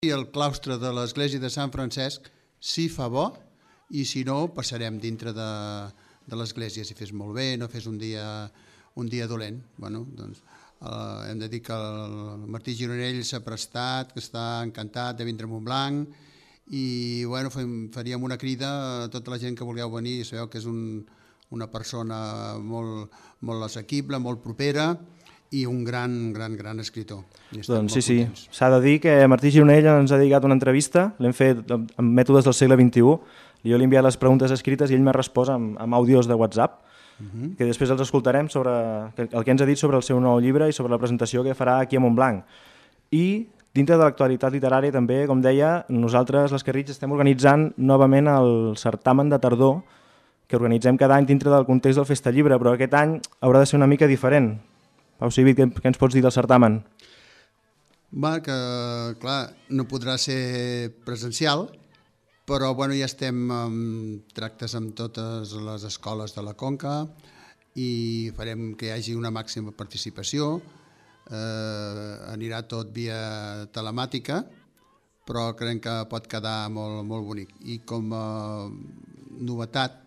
i el claustre de l'església de Sant Francesc si fa bo, i si no passarem dintre de l'església, si fes molt bé, no fes un dia dolent. Bueno, doncs, hem de dir que el Martí Gironell s'ha prestat, que està encantat de vindre a Montblanc, i bueno, faríem una crida a tota la gent que vulgueu venir. Sabeu que és una persona molt assequible, molt propera, i un gran escriptor. Doncs sí, s'ha de dir que Martí Gironell ens ha dedicat una entrevista, l'hem fet amb mètodes del segle XXI, jo li he enviat les preguntes escrites i ell m'ha respost amb àudios de WhatsApp, que després els escoltarem sobre el que ens ha dit sobre el seu nou llibre i sobre la presentació que farà aquí a Montblanc. I dintre de l'actualitat literària també, com deia, nosaltres, les Carrits, estem organitzant novament el certamen de tardor que organitzem cada any dintre del context del Festa Llibre, però aquest any haurà de ser una mica diferent. Pau Civit, què ens pots dir del certamen? Que, clar, no podrà ser presencial, però bueno, ja estem en tractes amb totes les escoles de la Conca i farem que hi hagi una màxima participació. Anirà tot via telemàtica, però creiem que pot quedar molt bonic. I com a novetat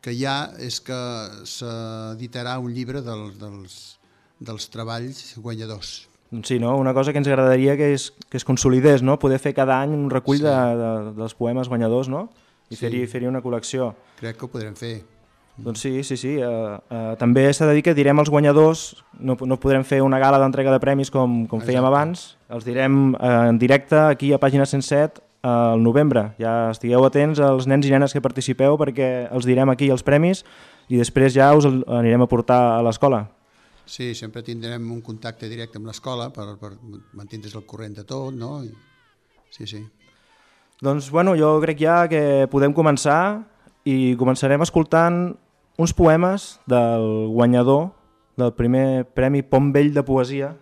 que hi ha és que s'editarà un llibre dels treballs guanyadors. Sí, no? Una cosa que ens agradaria que es consolidés, no? Poder fer cada any un recull dels poemes guanyadors, no? I fer-hi una col·lecció. Crec que ho podrem fer. Doncs sí. També s'ha de dir que direm els guanyadors, no podrem fer una gala d'entrega de premis com fèiem abans, els direm en directe aquí a Pàgina 107 al novembre. Ja estigueu atents als nens i nenes que participeu perquè els direm aquí els premis i després ja us anirem a portar a l'escola. Sí, sempre tindrem un contacte directe amb l'escola per mantindre's al corrent de tot, no? Sí. Doncs bueno, jo crec ja que podem començar i començarem escoltant uns poemes del guanyador del primer Premi Pont Vell de Poesia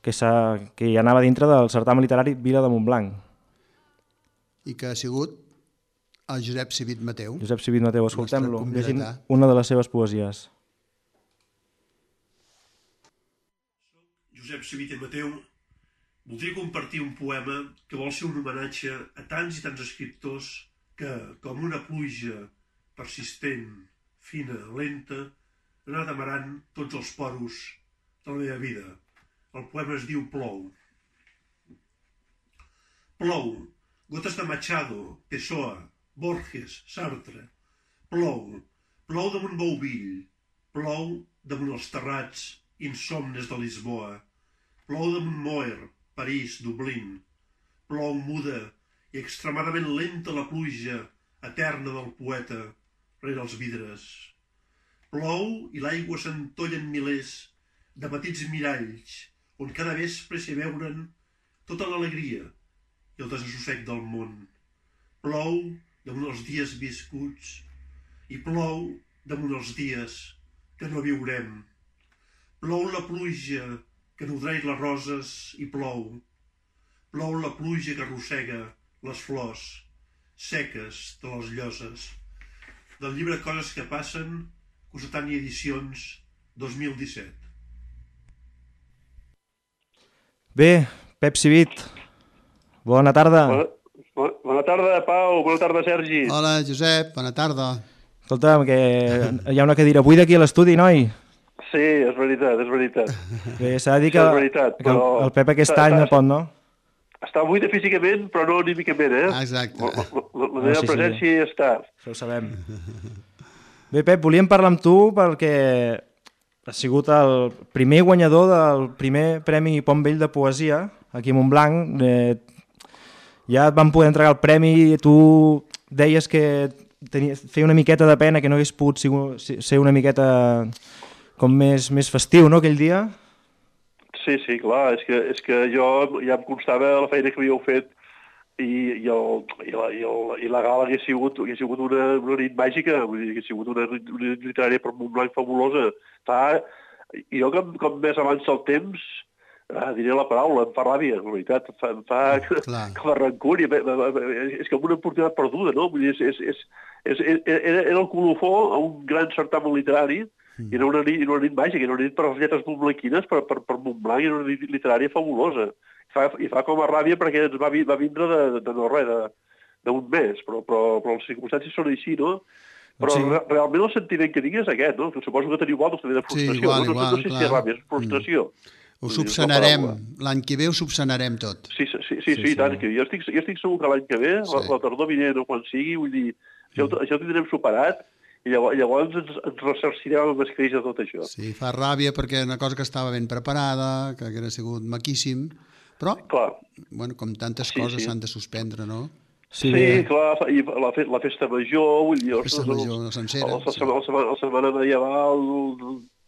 que ja anava dintre del certamen literari Vila de Montblanc. I que ha sigut el Josep Civit Mateu. Josep Civit Mateu, escoltem-lo, llegint una de les seves poesies. Josep Civit Mateu, voldria compartir un poema que vol ser un homenatge a tants i tants escriptors que, com una pluja persistent, fina, lenta, ha anat amarant tots els poros de la meva vida. El poema es diu Plou. Plou, gotes de Machado, Pessoa, Borges, Sartre. Plou damunt Bouvill, plou damunt els terrats insomnes de Lisboa. Plou damunt Moer, París, Dublín. Plou muda i extremadament lenta la pluja eterna del poeta rere els vidres. Plou i l'aigua s'entolla en milers de petits miralls on cada vespre s'hi veuren tota l'alegria i el desassossec del món. Plou damunt els dies viscuts i plou damunt els dies que no viurem. Plou la pluja que nodreix les roses i plou. Plou la pluja que arrossega les flors seques de les lloses. Del llibre Coses que passen, Cossetània Edicions, 2017. Bé, Pep Civit, bona tarda. Bona tarda, Pau, bona tarda, Sergi. Hola, Josep, bona tarda. Escolta'm, que hi ha una cadira buida aquí a l'estudi, noi? Sí, és veritat. Bé, s'ha de dir que el Pep aquest any no pot, no? Està buida físicament, però no anímicament, eh? Exacte. La meva presència hi està. Això ho sabem. Bé, Pep, volíem parlar amb tu perquè has sigut el primer guanyador del primer Premi Pont Vell de Poesia aquí a Montblanc. Ja et van poder entregar el premi i tu deies que feia una miqueta de pena que no hagués pogut ser una miqueta com més festiu, no, aquell dia? Sí, clar, és que jo ja em constava la feina que havíeu fet i la gala hagués sigut una nit màgica, hagués sigut una nit literària per Montblanc fabulosa. Jo com més avança el temps, diré la paraula, em fa ràbia, en veritat, em fa com a rancúria, és com una oportunitat perduda, no? Vull dir, era el colofó a un gran certamen literari I era una nit màgica, era una nit per les lletres montblanquines, per Montblanc, era una nit literària fabulosa. I fa com a ràbia perquè ens va vindre de no res, d'un mes, però les circumstàncies són així, no? Però realment el sentiment que tinc és aquest, no? Que suposo que teniu vosaltres també de frustració. Sí, igual, no sé si és ràbia, és frustració. Ho subsanarem, l'any que ve ho subsanarem tot. Sí, tant, que jo estic segur que l'any que ve, la tardor vinent o quan sigui, vull dir, això ho tindrem superat, i llavors ens ressarcirem amb escreix de tot això. Sí, fa ràbia perquè una cosa que estava ben preparada, que hauria sigut maquíssim, però, bueno, com tantes coses s'han de suspendre, no? Sí, clar, i la festa major, vull dir, la sencera, la setmana medieval,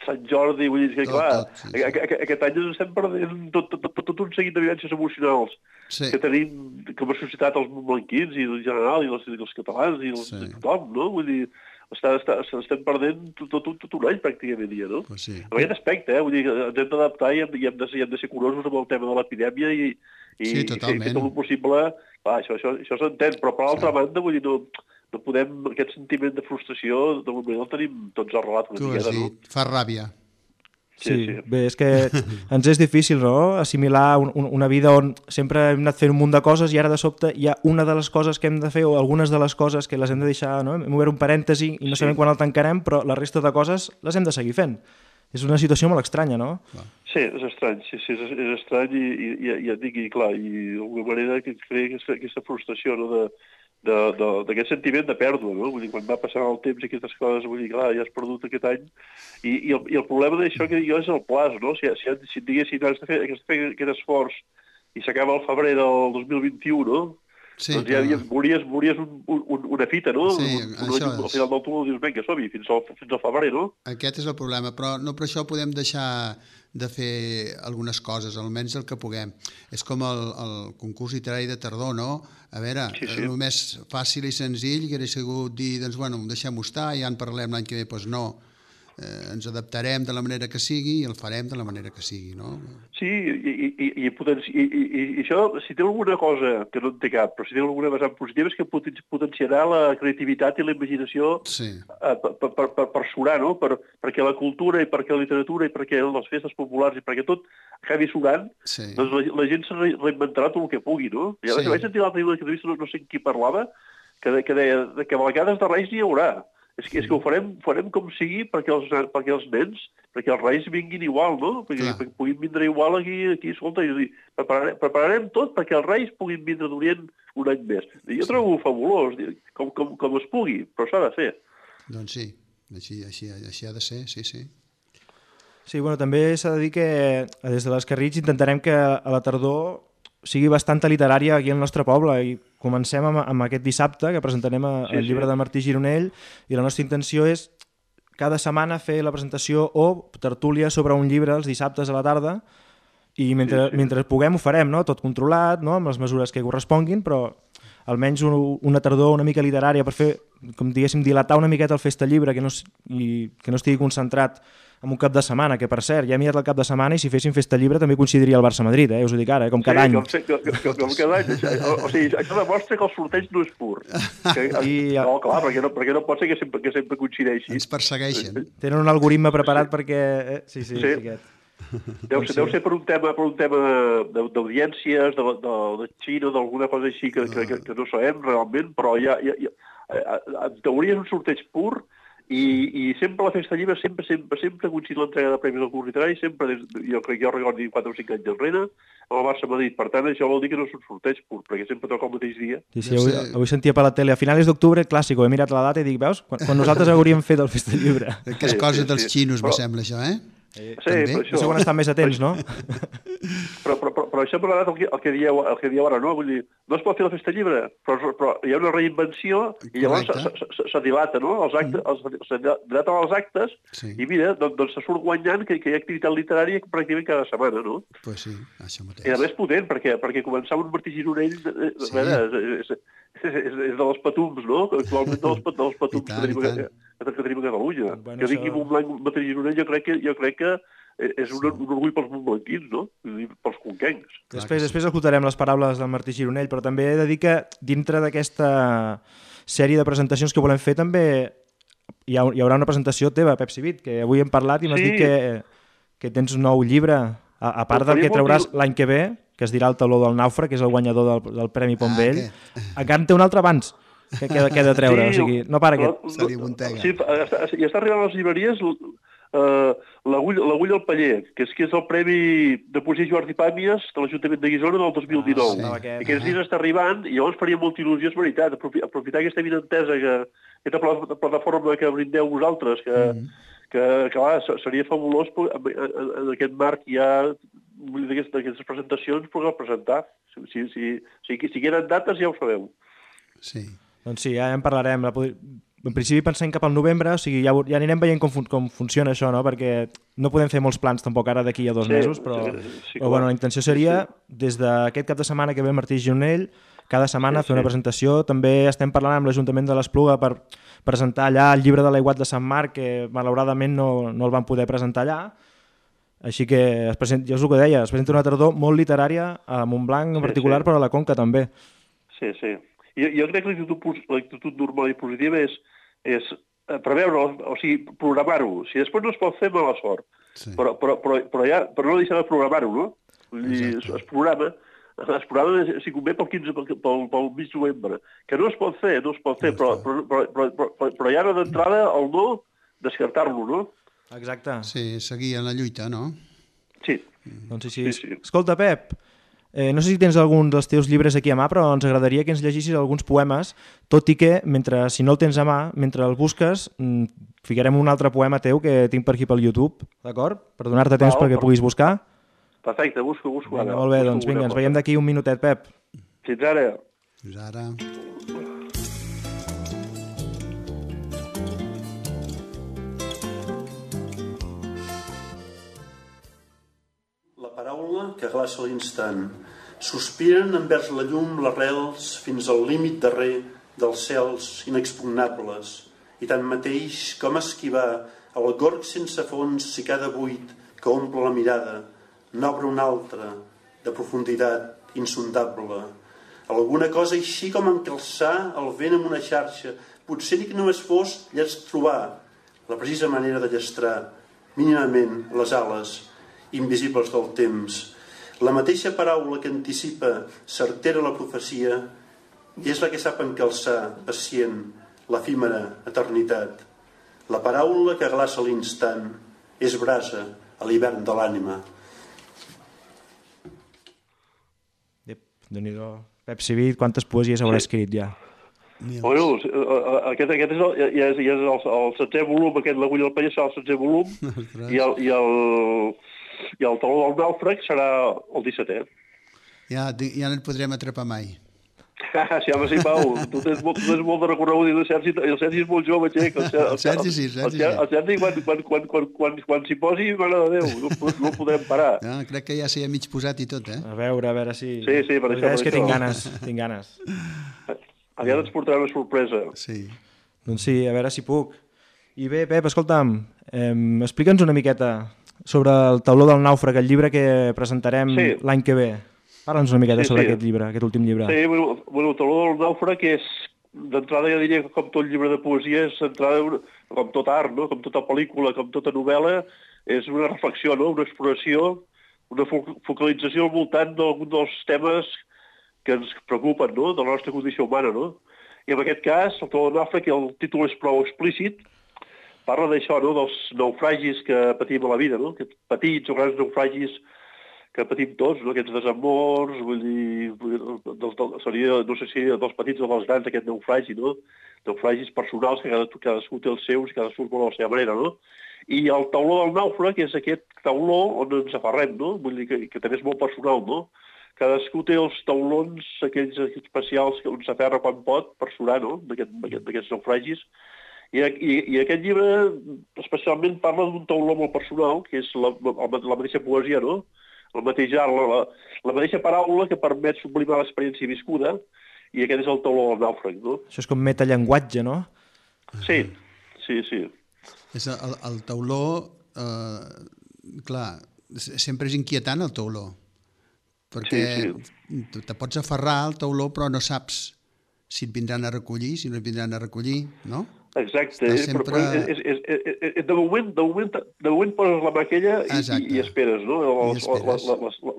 Sant Jordi, vull dir que, clar, aquest any ens estem perdent tot un seguit de vivències emocionals que tenim com a societat els montblanquins i en general, i els catalans, i tothom, no? Vull dir, estem perdent tot un any pràcticament ja, no? En aquest aspecte, vull dir, ens hem d'adaptar i hem de ser curosos amb el tema de l'epidèmia i fer tot el possible. Clar, això s'entén, però per l'altra banda, vull dir, no podem, aquest sentiment de frustració, de moment el tenim tots arrelat una miqueta, no? Tu has dit, fa ràbia. Sí, bé, és que ens és difícil, no?, assimilar una vida on sempre hem anat fent un munt de coses i ara de sobte hi ha una de les coses que hem de fer o algunes de les coses que les hem de deixar, no? Hem obert un parèntesi i no sabem quan el tancarem, però la resta de coses les hem de seguir fent. És una situació molt estranya, no? Sí, és estrany, és estrany i ja et dic, i clar, i d'alguna manera que crea aquesta frustració, no?, d'aquest sentiment de pèrdua, no? Vull dir, quan va passar el temps i aquestes coses, vull dir, clar, ja has perdut aquest any. I el problema d'això que jo és el plaç, no? Si diguessin, has de fer aquest esforç i s'acaba el febrer del 2021, no? Doncs ja veuries una fita, no? Al final del túnel dius, vinga, som-hi, fins al febrer, no? Aquest és el problema, però no per això podem deixar de fer algunes coses, almenys el que puguem. És com el concurs literari de tardor, no? A veure, el més fàcil i senzill que hauria sigut dir, doncs, bueno, deixem-ho estar, ja en parlem l'any que ve, doncs no. Ens adaptarem de la manera que sigui i el farem de la manera que sigui, no? Sí, i això, si té alguna cosa que no en té cap, però si té alguna vessant positiva és que potenciarà la creativitat i la imaginació per surar, no? Perquè la cultura i perquè la literatura i perquè les festes populars i perquè tot acabi surant, doncs la gent se reinventarà tot el que pugui, no? Ja vaig sentir l'altre dia una entrevista, no sé qui parlava, que deia que a vegades de reis n'hi haurà. És que ho farem com sigui perquè els nens, perquè els reis vinguin igual, no? Perquè puguin vindre igual aquí, escolta, i prepararem tot perquè els reis puguin vindre d'Orient un any més. I jo trobo fabulós, com es pugui, però s'ha de fer. Doncs sí, així ha de ser, sí. Sí, bueno, també s'ha de dir que des de l'Escarritx intentarem que a la tardor sigui bastanta literària aquí al nostre poble i comencem amb aquest dissabte que presentarem el llibre de Martí Gironell i la nostra intenció és cada setmana fer la presentació o tertúlia sobre un llibre els dissabtes a la tarda i mentre puguem ho farem, no? Tot controlat, no? Amb les mesures que corresponguin, però almenys una tardor una mica literària per fer, com diguéssim, dilatar una miqueta el Festa Llibre que no estigui concentrat en un cap de setmana, que per cert, ja he mirat el cap de setmana i si féssim Festa Llibre també coincidiria el Barça-Madrid, us ho dic ara, com cada any. Com cada any. O sigui, això demostra que el sorteig no és pur. No, clar, perquè no pot ser que sempre coincideixi. Ens persegueixen. Tenen un algoritme preparat perquè... Sí, aquest. Deu ser per un tema d'audiències, de Xina, d'alguna cosa així que no sabem realment, però ja en teoria és un sorteig pur i sempre la Festa Llibre sempre coincidit l'entrega de premis del curs literari, sempre, jo recordo 4 o 5 anys enrere, amb el Barça-Madrid. Per tant, això vol dir que no és un sorteig pur, perquè sempre toca el mateix dia. Sí, avui sentia per la tele, a finals d'octubre, clàssic, he mirat la data i dic, veus, quan nosaltres hauríem fet el Festa Llibre. Que és cosa dels xinos, me sembla, això, eh? Sí, però això... Això quan estan més atents, no? Però això per l'edat el que dieu ara, no? Vull dir, no es pot fer la Festa Llibre, però hi ha una reinvenció i llavors se dilata, no? Se dilaten els actes i mira, doncs se surt guanyant que hi ha activitat literària pràcticament cada setmana, no? Pues sí, això mateix. I a més potent, perquè començar amb un Martí Gironell és de les patums, no? Actualment de les patums que tenim a Catalunya. Que digui Montblanc Martí Gironell jo crec que és un orgull pels montblanquins, no? Pels conquencs. Després escoltarem les paraules del Martí Gironell, però també he de dir que dintre d'aquesta sèrie de presentacions que volem fer també hi haurà una presentació teva, Pep Civit, que avui hem parlat i m'has dit que tens un nou llibre, a part del que trauràs l'any que ve, que es dirà El tauló del nàufrag, que és el guanyador del Premi Pontvell. Encara en té un altre abans que ha de treure, o sigui, no para aquest. Se li muntega. Sí, i està arribant a les llibreries l'Agulla al Paller, que és el Premi de Poesia Joan Pàmies de l'Ajuntament de Guissona del 2019. Aquests dies està arribant i llavors faria molta il·lusió, és veritat, aprofitar aquesta vinentesa, aquesta plataforma que brindeu vosaltres, que clar, seria fabulós en aquest marc ja d'aquestes presentacions poder presentar. Si queden dates ja ho sabeu. Sí. Doncs sí, ja en parlarem. En principi pensem cap al novembre, o sigui, ja anirem veient com funciona això, no? Perquè no podem fer molts plans tampoc ara d'aquí a 2 mesos, però bueno, la intenció seria, des d'aquest cap de setmana que ve el Martí Gironell, cada setmana fer una presentació. També estem parlant amb l'Ajuntament de l'Espluga per presentar allà el llibre de l'Aiguat de Sant Marc, que malauradament no el van poder presentar allà. Així que, jo és el que deia, es presenta una tardor molt literària a Montblanc en particular, però a la Conca també. Sí. Jo crec que l'actitud normal i positiva és preveure, o sigui, programar-ho. Si després no es pot fer, mala sort. Però no deixar de programar-ho, no? Es programa, si convé, pel mig de novembre. Que no es pot fer, però ja d'entrada el no, descartar-lo, no? Exacte. Sí, seguir en la lluita, no? Sí. Doncs sí. Escolta, Pep, no sé si tens algun dels teus llibres aquí a mà, però ens agradaria que ens llegissis alguns poemes, tot i que, si no el tens a mà, mentre el busques, ficarem un altre poema teu que tinc per aquí pel YouTube, d'acord? Per donar-te temps perquè puguis buscar. Perfecte, busco. Vinga, molt bé, doncs vinga, ens veiem d'aquí un minutet, Pep. Fins ara. Fins ara. La paraula que glaça l'instant. Sospiren envers la llum les rels fins al límit darrer dels cels inexpugnables. I tanmateix, com esquivar el gorg sense fons si cada buit que omple la mirada n'obre una altra de profunditat insondable. Alguna cosa així com encalçar el vent amb una xarxa. Potser ni que només fos trobar la precisa manera de llestrar mínimament les ales invisibles del temps. La mateixa paraula que anticipa certera la profecia i és la que sap encalçar, pacient, l'efímera eternitat. La paraula que glaça l'instant és brasa a l'hivern de l'ànima. Déu-n'hi-do. Pep Civit, quantes poesies haurà escrit ja? Bueno, aquest és el 7è volum, l'Agulla del Paller serà el 7è volum i el Tauló del Nàufrag serà el 17è. Ja no et podrem atrapar mai. Sí, home, sí, Pau, tu tens molt de recorregut i el Sergi és molt jove, xec. El Sergi sí. El Sergi, quan s'hi posi, mare de Déu, no el podrem parar. Crec que ja s'hi ha mig posat i tot, eh? A veure si... Sí, per això. És que tinc ganes. Aviat ens portarà una sorpresa. Sí. Doncs sí, a veure si puc. I bé, Pep, escolta'm, explica'ns una miqueta sobre el Tauló del Nàufrag, el llibre que presentarem l'any que ve. Parla'ns una miqueta sobre aquest llibre, aquest últim llibre. Sí, bueno, el Tauló del Nàufrag és, d'entrada ja diria que com tot llibre de poesia, és d'entrada com tot art, no? Com tota pel·lícula, com tota novel·la, és una reflexió, no? Una exploració, una focalització al voltant d'alguns dels temes que ens preocupen, no?, de la nostra condició humana, no? I en aquest cas, el Tauló del Nàufrag, el títol és prou explícit, parla d'això, no?, dels naufragis que patim a la vida, no?, aquests petits o grans naufragis que patim tots, no?, aquests desamors, vull dir, seria, no sé si dels petits o dels grans, aquest naufragi, no?, naufragis personals que cadascú té els seus i cadascú vol a la seva manera, no? I el Tauló del Nàufrag és aquest tauló on ens aferrem, no?, vull dir que també és molt personal, no? Cadascú té els taulons, aquells especials on s'aferra quan pot per surar, no?, d'aquests naufragis. I aquest llibre especialment parla d'un tauló molt personal, que és la mateixa poesia, no?, la mateixa paraula que permet sublimar l'experiència viscuda, i aquest és el Tauló del Nàufrag, no? Això és com metallenguatge, no? Sí. És el tauló, clar, sempre és inquietant el tauló, perquè te pots aferrar al tauló però no saps si et vindran a recollir, si no et vindran a recollir, no? Exacte. Sempre... Però de moment poses la mà aquella i esperes, no?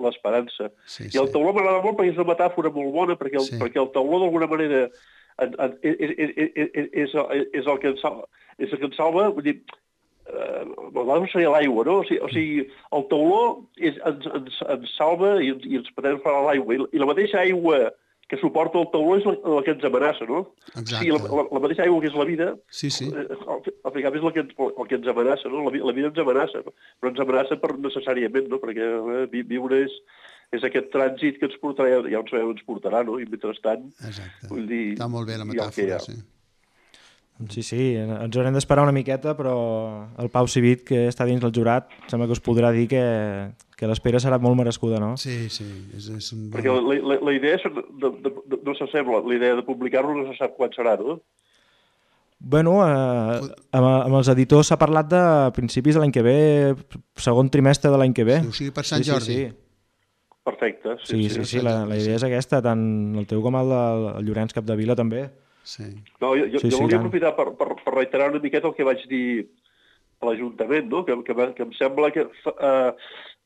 L'esperança. Sí, I el tauló m'agrada molt perquè és una metàfora molt bona, perquè el tauló d'alguna manera és el que ens salva, vull dir, no seria l'aigua, no? O sigui, el tauló ens salva i ens permet fora l'aigua. I la mateixa aigua que suporta el tauló és la que ens amenaça, no? Exacte. O sigui, la mateixa aigua que és la vida, sí. al final és el que ens amenaça, no? La vida ens amenaça, però ens amenaça necessàriament, no? Perquè viure és aquest trànsit que ens portarà, ja on sabem ens portarà, no? I mentrestant... Exacte. Vull dir, està molt bé la metàfora, sí. Sí, ens haurem d'esperar una miqueta, però el Pau Civit, que està dins del jurat, sembla que us podrà dir que l'espera serà molt merescuda, no? Sí. És un... Perquè la idea no s'assembla, la idea de publicar-lo no se sap quan serà, no? Bueno, amb els editors s'ha parlat de principis de l'any que ve, segon trimestre de l'any que ve. Sí, o sigui, per Sant Jordi. Sí. Perfecte. Sí, la idea és aquesta, tant el teu com el Llorenç Capdevila també. Sí. No, jo volia aprofitar per reiterar una miqueta el que vaig dir a l'Ajuntament, no? Que em sembla que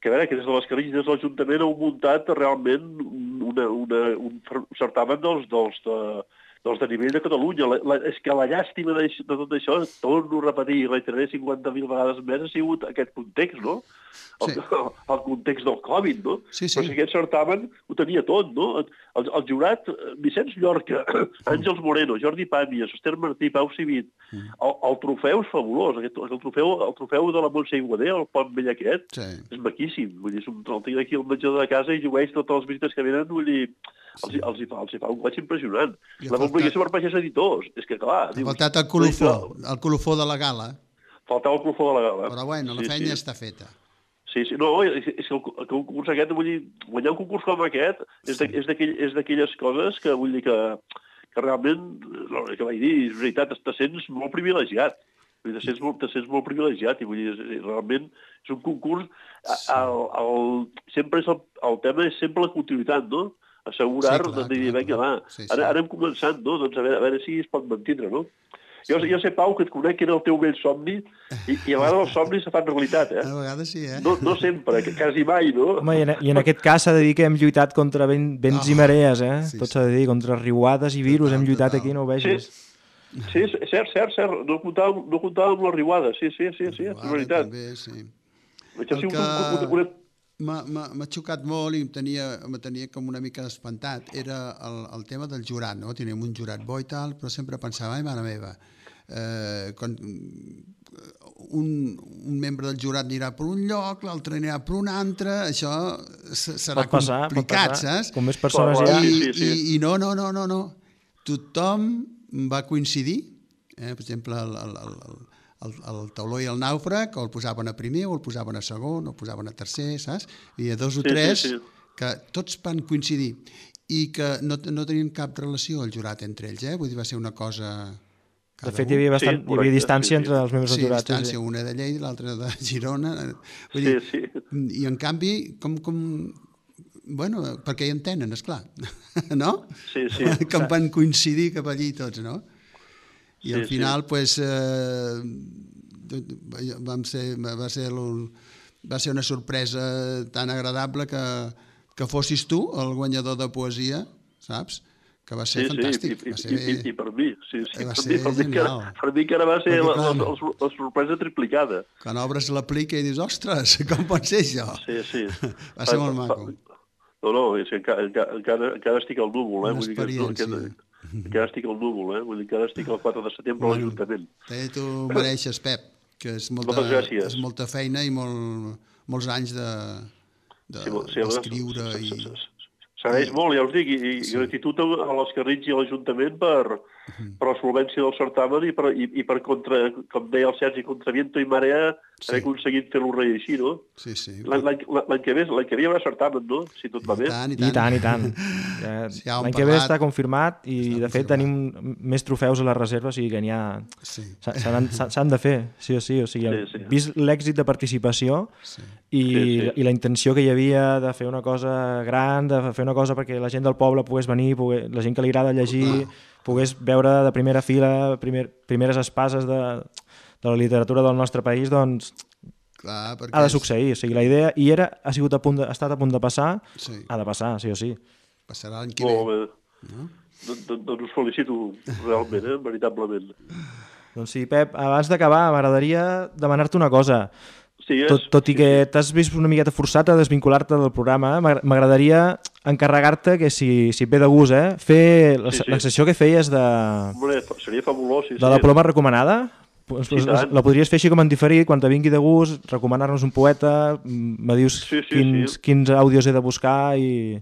des de les Carrilles de l'Ajuntament heu muntat realment un certamen dels de nivell de Catalunya. És que la llàstima de tot això, torno a repetir i reiteraré 50.000 vegades més, ha sigut aquest context, no? El context del Covid, no? Sí. Però si aquest certamen ho tenia tot, no? El jurat, Vicenç Llorca, Àngels Moreno, Jordi Pàmies, Esther Martí, Pau Civit, el trofeu és fabulós. El trofeu de la Montse Iguader, el pont vell aquest, és maquíssim. Vull dir, el tinc aquí al menjador de casa i llueix totes les visites que venen, vull dir, els fa un goig impressionant. La publicació per pagès editors. És que, clar... Ha faltat el colofó de la gala. Faltava el colofó de la gala. Però bueno, la feina està feta. Sí, no, és que el concurs aquest, vull dir, guanyar un concurs com aquest és d'aquelles coses que vull dir que realment, el que vaig dir, és veritat, te sents molt privilegiat. Te sents molt privilegiat i vull dir, realment és un concurs, sempre és el tema és sempre la continuïtat, no? Assegurar, de dir, vinga, va, ara hem començat, no? Doncs a veure si es pot mantindre, no? Jo sé, Pau, que et conec que era el teu vell somni i a vegades els somnis se fan realitat, eh? A vegades sí, eh? No sempre, quasi mai, no? Home, i en aquest cas s'ha de dir que hem lluitat contra vents i marees, eh? Tot s'ha de dir, contra riuades i virus, hem lluitat aquí, no ho vegis. Sí, cert. No comptàvem amb la riuada, sí, és veritat. També, sí. M'ha xocat molt i me tenia com una mica espantat. Era el tema del jurat, no? Teníem un jurat bo i tal, però sempre pensava, ai, mare meva, quan un membre del jurat anirà per un lloc, l'altre anirà per un altre, això serà complicat, saps? Com més persones hi ha... I no. Tothom va coincidir, per exemple, el tauló i el nàufrag, o el posaven a primer, o el posaven a segon, o el posaven a tercer, saps? Hi havia 2 o 3 que tots van coincidir i que no tenien cap relació el jurat entre ells, vull dir, va ser una cosa... De fet, hi havia distància entre els membres del jurat. Sí, distància, una de Lleida, l'altra de Girona. Vull dir, i en canvi, bueno, perquè hi entenen, esclar, no? Sí. Que van coincidir cap allí tots, no? I al final, doncs, va ser una sorpresa tan agradable que fossis tu el guanyador de poesia, saps? Que va ser fantàstic. I per mi, sí. Va ser genial. Per mi que ara va ser la sorpresa triplicada. Quan obres l'aplica i dius, ostres, com pot ser això? Sí. Va ser molt maco. No, és que encara estic al núvol, Una experiència. Encara estic al núvol, vull dir que ara estic el 4 de setembre a l'Ajuntament. Tu mereixes, Pep, que és molta feina i molts anys d'escriure i... S'agraeix molt, ja us dic, i gratitud a les Carrilles i a l'Ajuntament per la solvència del certamen i per contra, com deia el Sergi, contra viento i marea, haver aconseguit fer-lo reeixir, no? Sí. L'any que ve hi haurà certamen, no? Si tot va bé. I tant. L'any que ve està confirmat i, de fet, tenim més trofeus a la reserva, o sigui que n'hi ha... S'han de fer, sí o sí. O sigui, vist l'èxit de participació i la intenció que hi havia de fer una cosa gran, de fer una cosa perquè la gent del poble pogués venir, la gent que li agrada llegir, pogués veure de primera fila primeres espases de la literatura del nostre país, doncs Clar, ha de succeir. O sigui, la idea hi era, ha estat a punt de passar, ha de passar, sí o sí. Passarà l'any que ve. Molt bé. Doncs us felicito realment, veritablement. Doncs sí, Pep, abans d'acabar m'agradaria demanar-te una cosa. Tot i que t'has vist una miqueta forçat a desvincular-te del programa, m'agradaria encarregar-te que si et ve de gust, fer la sessió que feies de... Seria fabulós, sí. De la ploma recomanada. La podries fer així com en diferit, quan te vingui de gust, recomanar-nos un poeta, me dius quins àudios he de buscar i...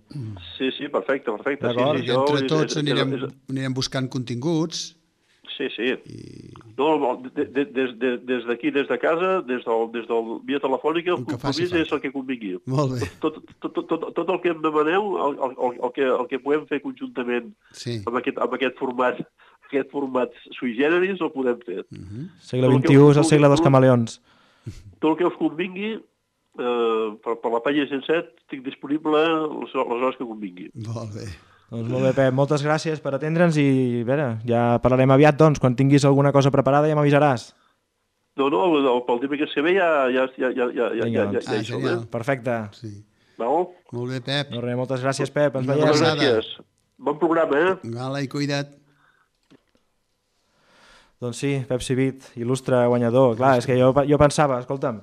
Sí, perfecte. D'acord, i entre tots anirem buscant continguts. Sí. No, des d'aquí, des de casa, des del via telefònica, el compromís és el que convingui. Molt bé. Tot el que em demaneu, el que podem fer conjuntament amb aquest format sui generis, el podem fer. Segle XXI és el segle dels camaleons. Tot el que us convingui, per la pàgina 107, estic disponible les hores que convingui. Molt bé. Doncs molt bé, Pep, moltes gràcies per atendre'ns i a veure, ja parlarem aviat, doncs, quan tinguis alguna cosa preparada ja m'avisaràs. No, pel dimecres que ve ja hi som. Perfecte. Molt bé, Pep. No res, moltes gràcies, Pep. Ens veiem. Moltes gràcies. Bon programa, Gala i cuida't. Doncs sí, Pep Civit, il·lustre guanyador. Clar, és que jo pensava, escolta'm,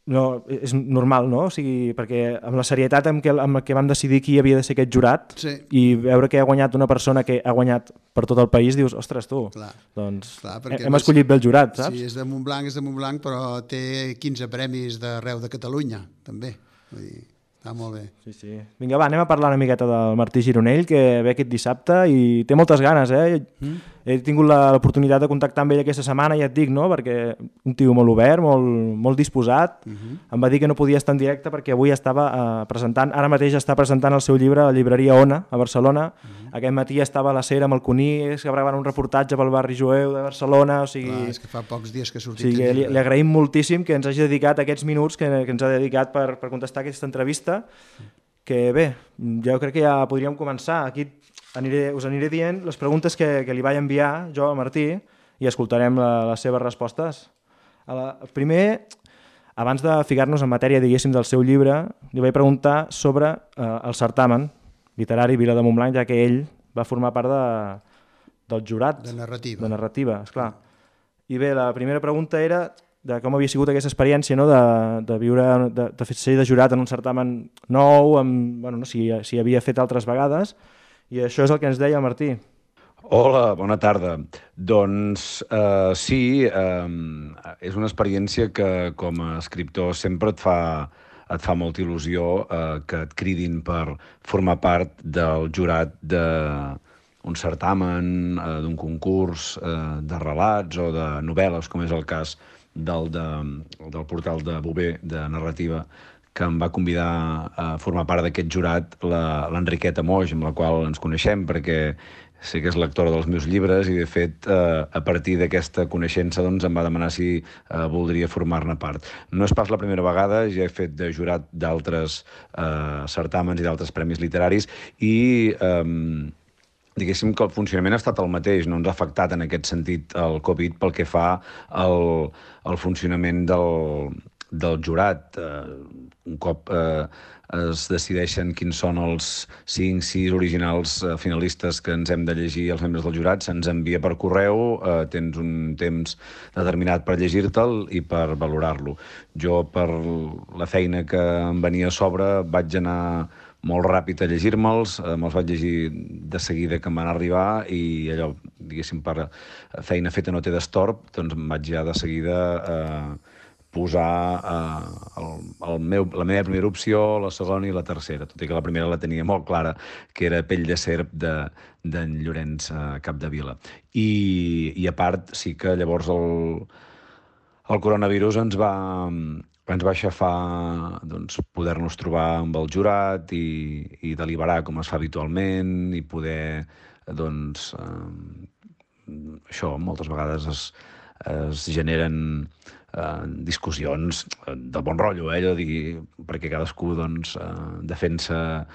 no, és normal, no? O sigui, perquè amb la serietat amb què vam decidir qui havia de ser aquest jurat i veure que ha guanyat una persona que ha guanyat per tot el país, dius, ostres, tu, doncs hem escollit bé el jurat, saps? Sí, és de Montblanc, però té 15 premis d'arreu de Catalunya, també. Vull dir, està molt bé. Sí. Vinga, va, anem a parlar una miqueta del Martí Gironell, que ve aquest dissabte i té moltes ganes, He tingut l'oportunitat de contactar amb ell aquesta setmana, ja et dic, no? Perquè un tio molt obert, molt disposat. Em va dir que no podia estar en directe perquè avui estava presentant, ara mateix està presentant el seu llibre a la llibreria Ona, a Barcelona. Aquest matí estava a la Cera amb el Conís, que gravant un reportatge pel barri jueu de Barcelona. O sigui, clar, és que fa pocs dies que ha sortit. O sigui, li agraïm moltíssim que ens hagi dedicat aquests minuts que ens ha dedicat per contestar aquesta entrevista. Que bé, jo crec que ja podríem començar. Aquí us aniré dient les preguntes que li vaig enviar jo al Martí i escoltarem les seves respostes. Primer, abans de ficar-nos en matèria, diguéssim, del seu llibre, li vaig preguntar sobre el certamen literari Vila de Montblanc, ja que ell va formar part del jurat. De narrativa. De narrativa, esclar. I bé, la primera pregunta era de com havia sigut aquesta experiència, no? de viure, de ser de jurat en un certamen nou, si havia fet altres vegades. I això és el que ens deia el Martí. Hola, bona tarda. Doncs sí, és una experiència que com a escriptor sempre et fa molta il·lusió que et cridin per formar part del jurat d'un certamen, d'un concurs de relats o de novel·les, com és el cas del portal de Bover de narrativa, que em va convidar a formar part d'aquest jurat l'Enriqueta Moix, amb la qual ens coneixem, perquè sé que és lectora dels meus llibres i, de fet, a partir d'aquesta coneixença doncs, em va demanar si voldria formar-ne part. No és pas la primera vegada, ja he fet de jurat d'altres certàmens i d'altres premis literaris i diguéssim que el funcionament ha estat el mateix, no ens ha afectat en aquest sentit el Covid pel que fa al funcionament del jurat. Un cop es decideixen quins són els 5-6 originals finalistes que ens hem de llegir els membres del jurat, se'ns envia per correu, tens un temps determinat per llegir-te'l i per valorar-lo. Jo, per la feina que em venia a sobre, vaig anar molt ràpid a llegir-me'ls, me'ls vaig llegir de seguida que em van arribar i allò, diguéssim, per feina feta no té destorb, doncs em vaig ja de seguida posar la meva primera opció, la segona i la tercera, tot i que la primera la tenia molt clara, que era Pell de serp d'en Llorenç Capdevila. I a part, sí que llavors el coronavirus ens va aixafar poder-nos trobar amb el jurat i deliberar com es fa habitualment i poder, això, moltes vegades es generen discussions de bon rotllo, allò de dir, perquè cadascú doncs, defensa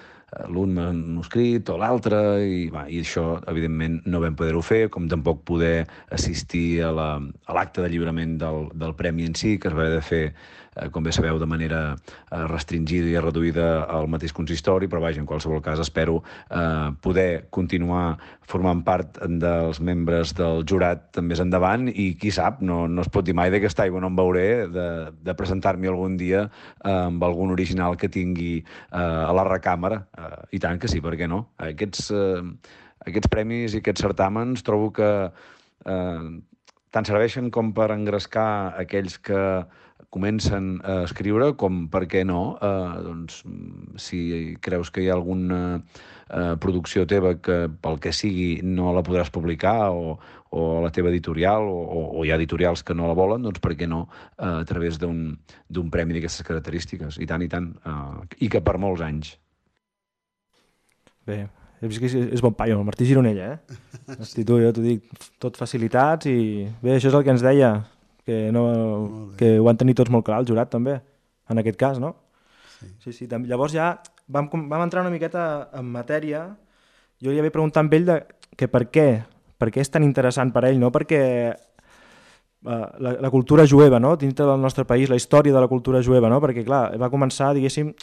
l'un manuscrit o l'altre, i això, evidentment, no vam poder-ho fer, com tampoc poder assistir a l'acte de lliurament del premi en si, que es va haver de fer, com bé sabeu, de manera restringida i reduïda al mateix consistori, però vaja, en qualsevol cas espero poder continuar formant part dels membres del jurat més endavant, i qui sap, no es pot dir mai d'aquesta aigua no em veuré, de presentar-m'hi algun dia amb algun original que tingui a la recàmera. I tant que sí, per què no? Aquests premis i aquests certàmens trobo que tant serveixen com per engrescar aquells que comencen a escriure, com, per què no, doncs, si creus que hi ha alguna producció teva que, pel que sigui, no la podràs publicar, o la teva editorial, o hi ha editorials que no la volen, doncs per què no a través d'un premi d'aquestes característiques? I tant, i que per molts anys. Bé, he vist que és bon paio, el Martí Gironella, Hosti, tu, jo t'ho dic, tot facilitats, i bé, això és el que ens deia, que ho han tenir tots molt clar, el jurat també, en aquest cas, no? Sí. Llavors ja vam entrar una miqueta en matèria. Jo li havia preguntat amb ell que per què és tan interessant per ell, no? Perquè la cultura jueva, no? Dintre del nostre país, la història de la cultura jueva, no? Perquè, clar, va començar, diguéssim,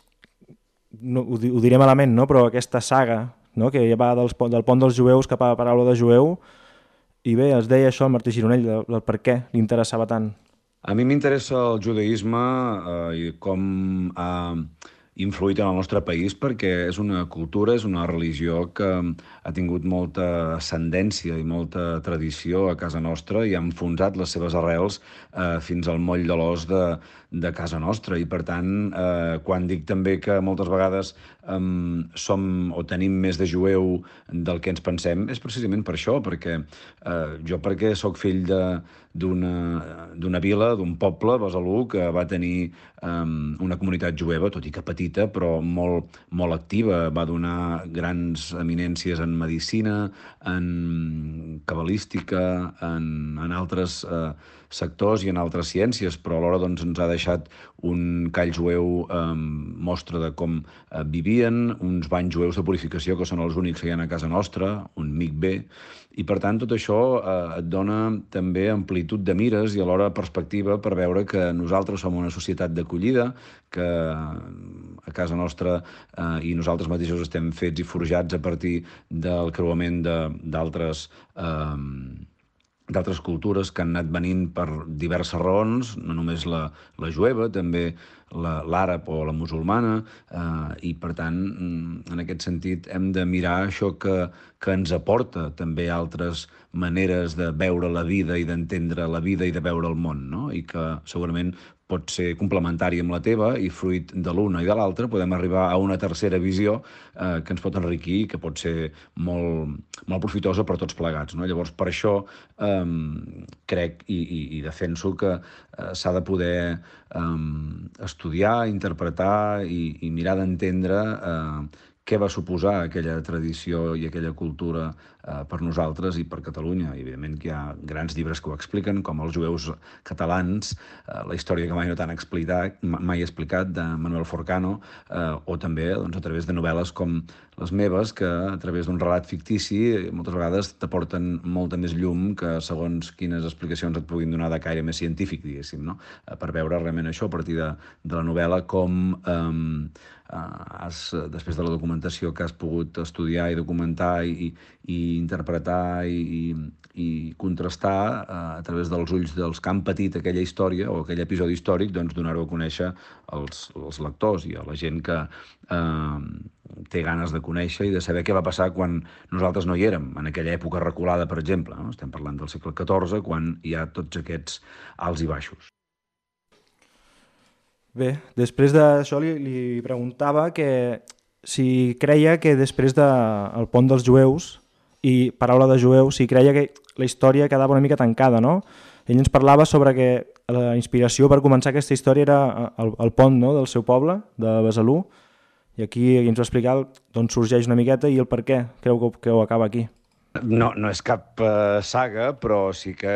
no, ho diré malament, no? Però aquesta saga, no? Que ja va del pont dels jueus cap a la paraula de jueu, i bé, es deia això el Martí Gironell, del per què li interessava tant. A mi m'interessa el judaïsme i com ha influït en el nostre país, perquè és una cultura, és una religió que ha tingut molta ascendència i molta tradició a casa nostra i ha enfonsat les seves arrels fins al moll de l'os de casa nostra. I, per tant, quan dic també que moltes vegades som o tenim més de jueu del que ens pensem, és precisament per això, perquè jo soc fill d'una vila, d'un poble, Besalú, que va tenir una comunitat jueva, tot i que petita, però molt, molt activa. Va donar grans eminències en medicina, en cabalística, en altres sectors i en altres ciències, però alhora doncs, ens ha deixat un call jueu mostra de com vivien, uns banys jueus de purificació que són els únics que hi ha a casa nostra, un mikvé, i per tant tot això et dona també amplitud de mires i alhora perspectiva per veure que nosaltres som una societat d'acollida, que a casa nostra i nosaltres mateixos estem fets i forjats a partir del creuament d'altres cultures que han anat venint per diverses raons, no només la jueva, també l'àrab o la musulmana, i per tant, en aquest sentit, hem de mirar això que ens aporta també altres maneres de veure la vida i d'entendre la vida i de veure el món, no? I que segurament pot ser complementari amb la teva i fruit de l'una i de l'altra podem arribar a una tercera visió que ens pot enriquir i que pot ser molt, molt profitosa per tots plegats, no? Llavors, per això crec i defenso que s'ha de poder estudiar, interpretar i mirar d'entendre què va suposar aquella tradició i aquella cultura per nosaltres i per Catalunya. I evidentment que hi ha grans llibres que ho expliquen, com Els jueus catalans, la història que mai no t'han mai explicat, de Manuel Forcano, o també doncs, a través de novel·les com les meves, que a través d'un relat fictici moltes vegades t'aporten molta més llum que segons quines explicacions et puguin donar de caire més científic, diguéssim, no? Per veure realment això a partir de la novel·la, com després de la documentació que has pogut estudiar i documentar i interpretar i contrastar a través dels ulls dels que han patit aquella història o aquell episodi històric, doncs donar-ho a conèixer als lectors i a la gent que té ganes de conèixer i de saber què va passar quan nosaltres no hi érem, en aquella època reculada, per exemple, no? Estem parlant del segle XIV, quan hi ha tots aquests alts i baixos. Bé, després d'això li preguntava que si creia que després del pont dels jueus i paraula de jueu, si creia que la història quedava una mica tancada, no? Ell ens parlava sobre que la inspiració per començar aquesta història era el pont, no?, del seu poble, de Besalú, i aquí ens va explicar d'on sorgeix una miqueta i el per què creu que ho acaba aquí. No és cap saga, però sí que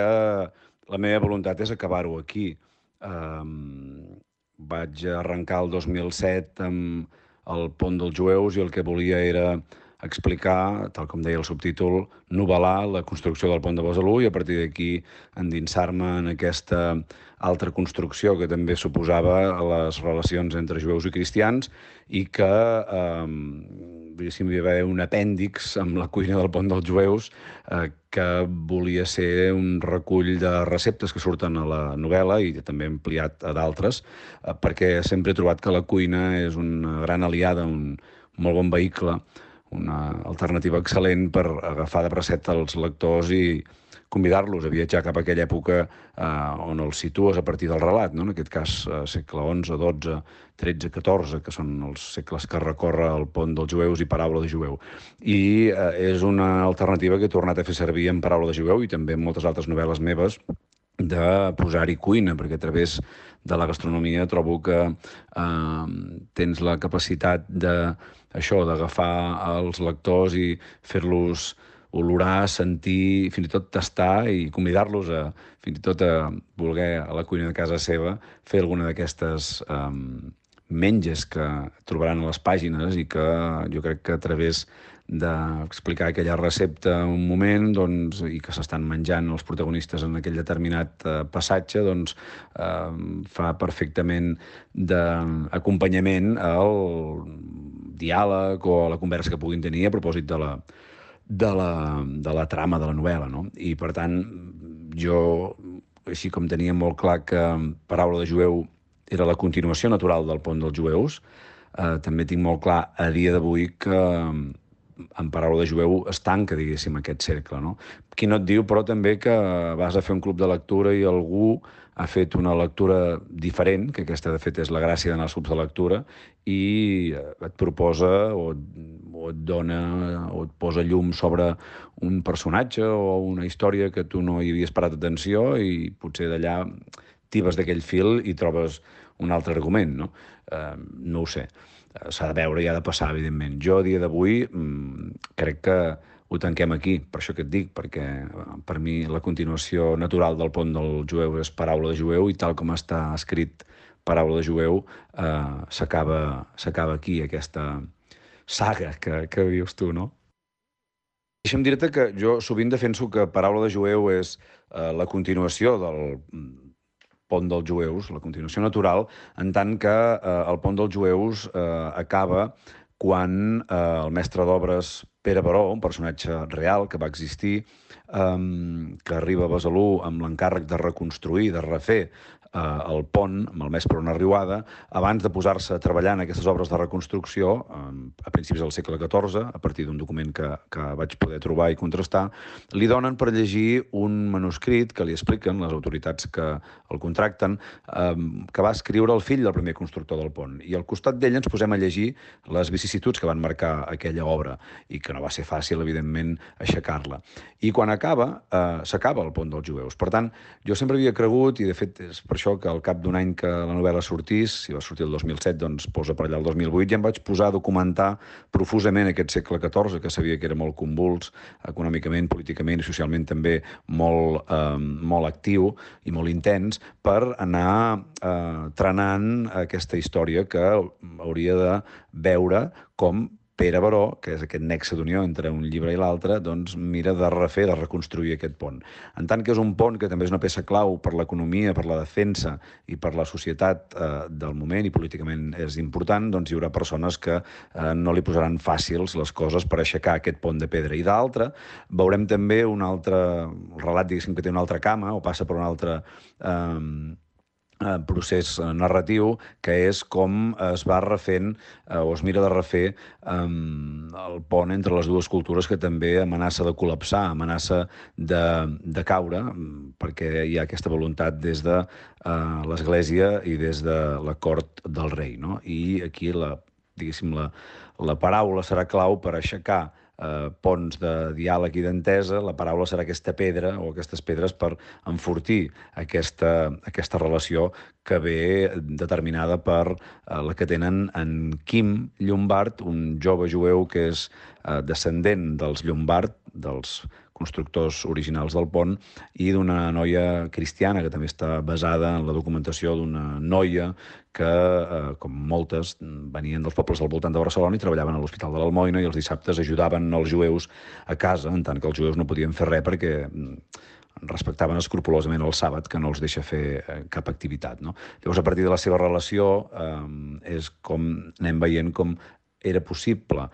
la meva voluntat és acabar-ho aquí. Vaig arrencar el 2007 amb el Pont dels Jueus i el que volia era explicar, tal com deia el subtítol, novel·lar la construcció del pont de Besalú i a partir d'aquí endinsar-me en aquesta altra construcció que també suposava les relacions entre jueus i cristians i que hi va haver un apèndix amb la cuina del pont dels jueus que volia ser un recull de receptes que surten a la novel·la i també ampliat a d'altres, perquè sempre he trobat que la cuina és una gran aliada, un molt bon vehicle, una alternativa excel·lent per agafar de bracet els lectors i convidar-los a viatjar cap a aquella època on els situes a partir del relat, no? En aquest cas, segle XI, XII, XIII, XIV, que són els segles que recorre el Pont dels Jueus i Paraula de Jueu. I és una alternativa que he tornat a fer servir en Paraula de Jueu i també en moltes altres novel·les meves de posar-hi cuina, perquè a través de la gastronomia trobo que tens la capacitat d'agafar els lectors i fer-los olorar, sentir, fins i tot tastar i convidar-los fins i tot a voler a la cuina de casa seva fer alguna d'aquestes menges que trobaran a les pàgines i que jo crec que a través d'explicar aquella recepta un moment i que s'estan menjant els protagonistes en aquell determinat passatge fa perfectament d'acompanyament al diàleg o a la conversa que puguin tenir a propòsit de la trama de la novel·la, no? I, per tant, jo, així com tenia molt clar que Paraula de Jueu era la continuació natural del Pont dels Jueus, també tinc molt clar a dia d'avui que en Paraula de Jueu es tanca, diguéssim, aquest cercle, no? Qui no et diu, però, també que vas a fer un club de lectura i algú ha fet una lectura diferent, que aquesta, de fet, és la gràcia d'anar als clubs de lectura, i et proposa o et dona o et posa llum sobre un personatge o una història que tu no hi havies parat atenció i potser d'allà tibes d'aquell fil i trobes un altre argument, no? No ho sé. S'ha de veure i ha de passar, evidentment. Jo, a dia d'avui, crec que ho tanquem aquí, per això que et dic, perquè per mi la continuació natural del Pont del Jueu és Paraula de Jueu i tal com està escrit Paraula de Jueu s'acaba aquí, aquesta saga que dius tu, no? Deixa'm dir-te que jo sovint defenso que Paraula de Jueu és la continuació del Pont dels Jueus, la continuació natural, en tant que el Pont dels Jueus acaba quan el mestre d'obres Pere Baró, un personatge real que va existir, que arriba a Besalú amb l'encàrrec de reconstruir, de refer el pont amb el mes per una riuada, abans de posar-se a treballar en aquestes obres de reconstrucció, a principis del segle XIV, a partir d'un document que vaig poder trobar i contrastar, li donen per llegir un manuscrit que li expliquen les autoritats que el contracten, que va escriure el fill del primer constructor del pont. I al costat d'ell ens posem a llegir les vicissituds que van marcar aquella obra i que no va ser fàcil, evidentment, aixecar-la. I quan s'acaba el Pont dels Jueus. Per tant, jo sempre havia cregut, i de fet és per això que al cap d'un any que la novel·la sortís, si va sortir el 2007, doncs posa per allà el 2008, ja em vaig posar a documentar profusament aquest segle XIV, que sabia que era molt convuls, econòmicament, políticament i socialment també molt actiu i molt intens, per anar trenant aquesta història que hauria de veure com Pere Baró, que és aquest nexe d'unió entre un llibre i l'altre, doncs mira de refer, de reconstruir aquest pont. En tant que és un pont que també és una peça clau per l'economia, per la defensa i per la societat del moment i políticament és important, doncs hi haurà persones que no li posaran fàcils les coses per aixecar aquest pont de pedra. I d'altra, veurem també un altre relat, diguéssim, que té una altra cama o passa per un altre procés narratiu, que és com es va refent o es mira de refer el pont entre les dues cultures, que també amenaça de col·lapsar, amenaça de caure, perquè hi ha aquesta voluntat des de l'Església i des de la cort del rei, no? I aquí, diguéssim, la paraula serà clau per aixecar ponts de diàleg i d'entesa. La paraula serà aquesta pedra o aquestes pedres per enfortir aquesta relació que ve determinada per la que tenen en Quim Llombart, un jove jueu que és descendent dels Llombart, dels constructors originals del pont, i d'una noia cristiana que també està basada en la documentació d'una noia que, com moltes, venien dels pobles al voltant de Barcelona i treballaven a l'Hospital de l'Almoina i els dissabtes ajudaven els jueus a casa, en tant que els jueus no podien fer res perquè respectaven escrupolosament el sàbat, que no els deixa fer cap activitat, no? Llavors, a partir de la seva relació, és com anem veient com era possible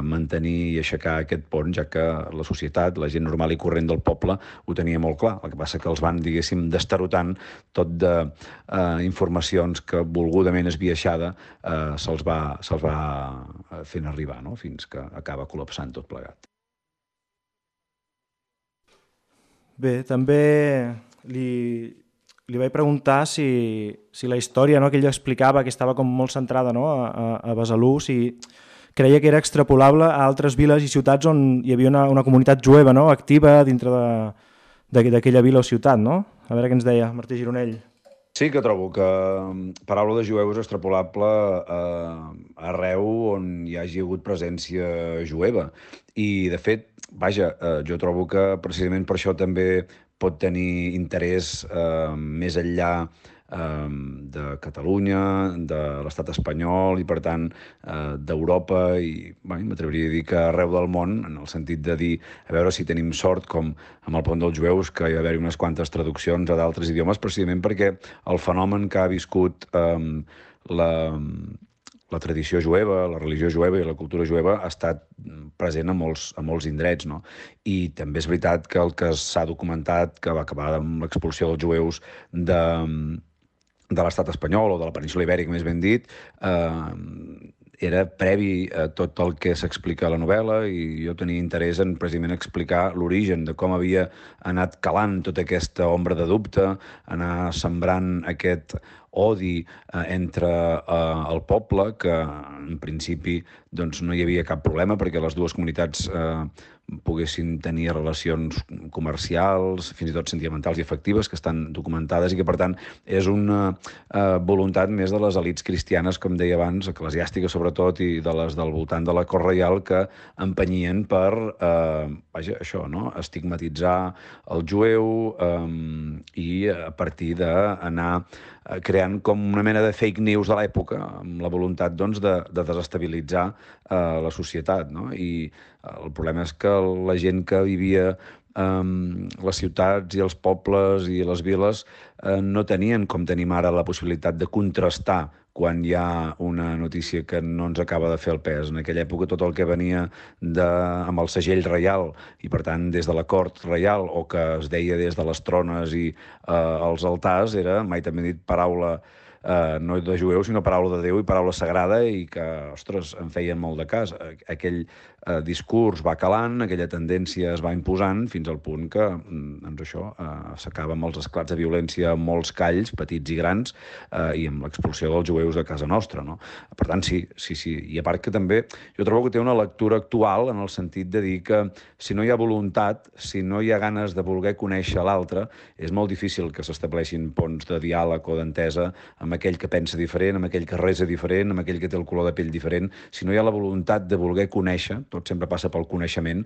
mantenir i aixecar aquest pont, ja que la societat, la gent normal i corrent del poble, ho tenia molt clar. El que passa que els van, diguéssim, destarotant tot d'informacions que volgudament esbiaixada se'ls va fent arribar, no? Fins que acaba col·lapsant tot plegat. Bé, també li vaig preguntar si la història, no, que ell explicava, que estava com molt centrada, no, a Besalú, si creia que era extrapolable a altres viles i ciutats on hi havia una comunitat jueva, no, activa dintre d'aquella vila o ciutat, no? A veure què ens deia Martí Gironell. Sí que trobo que paraula de jueu és extrapolable arreu on hi hagi hagut presència jueva. I, de fet, vaja, jo trobo que precisament per això també pot tenir interès més enllà de Catalunya, de l'estat espanyol i, per tant, d'Europa i m'atreviria a dir que arreu del món, en el sentit de dir a veure si tenim sort, com amb el pont dels jueus, que hi va haver unes quantes traduccions a d'altres idiomes, precisament perquè el fenomen que ha viscut la tradició jueva, la religió jueva i la cultura jueva ha estat present a molts indrets, no? I també és veritat que el que s'ha documentat, que va acabar amb l'expulsió dels jueus de l'estat espanyol o de la península ibèrica, més ben dit, era previ a tot el que s'explica a la novel·la, i jo tenia interès en precisament explicar l'origen de com havia anat calant tota aquesta ombra de dubte, anar sembrant aquest odi entre el poble, que en principi doncs, no hi havia cap problema perquè les dues comunitats poguessin tenir relacions comercials, fins i tot sentimentals i afectives, que estan documentades i que, per tant, és una voluntat més de les elits cristianes, com deia abans, eclesiàstiques sobretot, i de les del voltant de la cort reial, que empenyien per, això, no?, estigmatitzar el jueu i a partir d'anar creant com una mena de fake news de l'època, amb la voluntat doncs, de desestabilitzar la societat, no? I el problema és que la gent que vivia les ciutats i els pobles i les viles no tenien, com tenim ara, la possibilitat de contrastar quan hi ha una notícia que no ens acaba de fer el pes. En aquella època tot el que venia amb el segell reial i, per tant, des de la cort reial, o que es deia des de les trones i els altars, era, mai també he dit, paraula no de jueus, sinó paraula de Déu i paraula sagrada, i que, ostres, en feien molt de cas. Aquell discurs va calant, aquella tendència es va imposant, fins al punt que s'acaba amb els esclats de violència en molts calls, petits i grans, i amb l'expulsió dels jueus de casa nostra, no? Per tant, sí. I a part que també jo trobo que té una lectura actual, en el sentit de dir que si no hi ha voluntat, si no hi ha ganes de voler conèixer l'altre, és molt difícil que s'estableixin ponts de diàleg o d'entesa amb aquell que pensa diferent, amb aquell que resa diferent, amb aquell que té el color de pell diferent. Si no hi ha la voluntat de voler conèixer, tot sempre passa pel coneixement,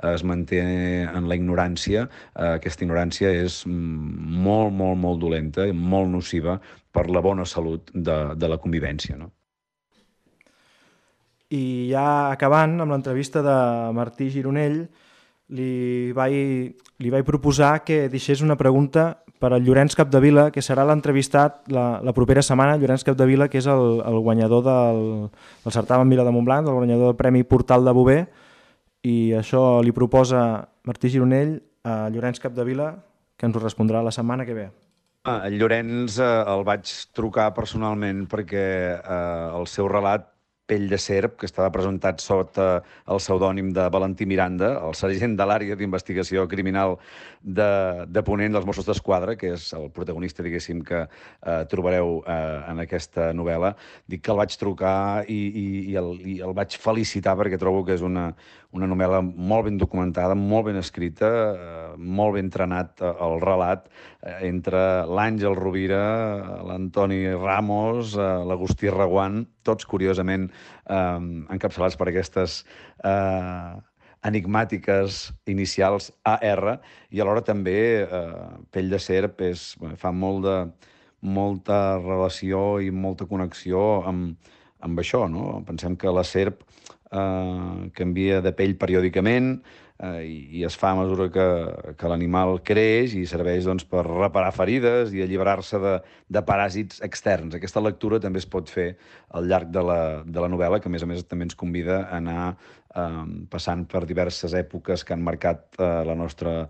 es manté en la ignorància. Aquesta ignorància és molt, molt, molt dolenta i molt nociva per la bona salut de la convivència, no? I ja acabant amb l'entrevista de Martí Gironell, li vaig proposar que deixés una pregunta per al Llorenç Capdevila, que serà l'entrevistat la propera setmana. Llorenç Capdevila, que és el guanyador del certamen Vila de Montblanc, el guanyador del Premi Portal de Bover, i això li proposa Martí Gironell a Llorenç Capdevila, que ens ho respondrà la setmana que ve. El Llorenç el vaig trucar personalment perquè el seu relat Pell de serp, que estava presentat sota el pseudònim de Valentí Miranda, el sergent de l'àrea d'investigació criminal de Ponent dels Mossos d'Esquadra, que és el protagonista, diguéssim, que trobareu en aquesta novel·la. Dic que el vaig trucar i el vaig felicitar perquè trobo que és una novel·la molt ben documentada, molt ben escrita, molt ben entrenat el relat, entre l'Àngel Rovira, l'Antoni Ramos, l'Agustí Reguant, tots curiosament encapçalats per aquestes enigmàtiques inicials AR, i alhora també Pell de serp fa molta relació i molta connexió amb això, no? Pensem que la serp canvia de pell periòdicament i es fa a mesura que l'animal creix i serveix per reparar ferides i alliberar-se de paràsits externs. Aquesta lectura també es pot fer al llarg de la novel·la, que a més també ens convida a anar passant per diverses èpoques que han marcat la nostra